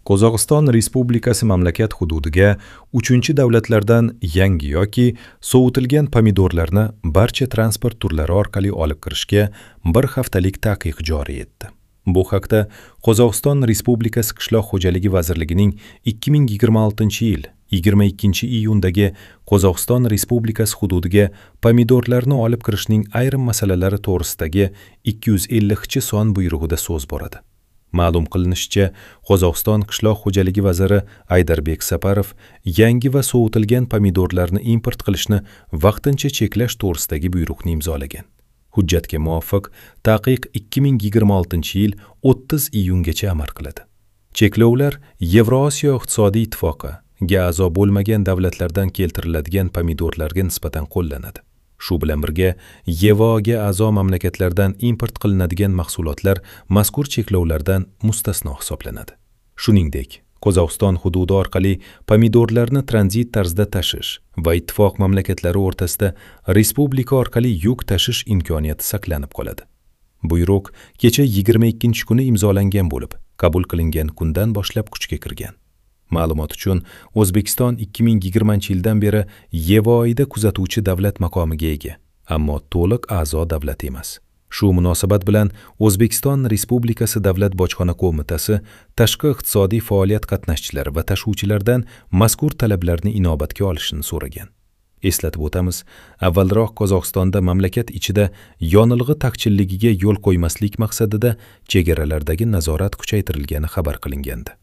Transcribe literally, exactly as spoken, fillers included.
Qozog'iston Respublikasi mamlakat hududiga uchinchi davlatlardan yangi yoki sovutilgan pomidorlarni barcha transport turlari orqali olib kirishga bir haftalik taqiq joriy etdi. Bu haqda Qozog'iston Respublikasi Qishloq xo'jaligi vazirligining ikki ming yigirma oltinchi yil yigirma ikkinchi iyundagi Qozog'iston Respublikasi hududiga pomidorlarni olib kirishning ayrim masalalari to'g'risidagi ikki yuz ellikchi son buyrug'ida so'z boradi. Ma'lum qilinishicha, Qozog'iston Qishloq xo'jaligi vaziri Aydarbek Saparov yangi va sovutilgan pomidorlarni import qilishni vaqtincha cheklash to'g'risidagi buyruqni imzolagan. Hujjatga muvofiq, taqiq ikki ming yigirma oltinchi yil o'ttiz iyungacha amal qiladi. Cheklovlar Yevrosiyo iqtisodiy ittifoqiga a'zo bo'lmagan davlatlardan keltiriladigan pomidorlarga nisbatan qo'llanadi. Shu bilan birga, Y V O'ga a'zo mamlakatlardan import qilinadigan mahsulotlar mazkur cheklovlardan mustasno hisoblanadi. Shuningdek, Qozog'iston hududi orqali pomidorlarni tranzit tarzda tashish va ittifoq mamlakatlari o'rtasida respublika orqali yuk tashish imkoniyati saqlanib qoladi. Buyruq kecha yigirma ikkinchi kuni imzolangan bo'lib, qabul qilingan kundan boshlab kuchga kirgan. Ma'lumot uchun, O'zbekiston ikki ming yigirmanchi yildan beri Y V O'da kuzatuvchi davlat maqomiga ega, ammo to'liq a'zo davlat emas. Shu munosabat bilan O'zbekiston Respublikasi Davlat bojxona qo'mitasi tashqi iqtisodiy faoliyat qatnashchilari va tashuvchilardan mazkur talablarni inobatga olishini so'ragan. Eslatib o'tamiz, avvalroq Qozog'istonda mamlakat ichida yonilg'i taqchilligiga yo'l qo'ymaslik maqsadida chegaralardagi nazorat kuchaytirilgani xabar qilingandi.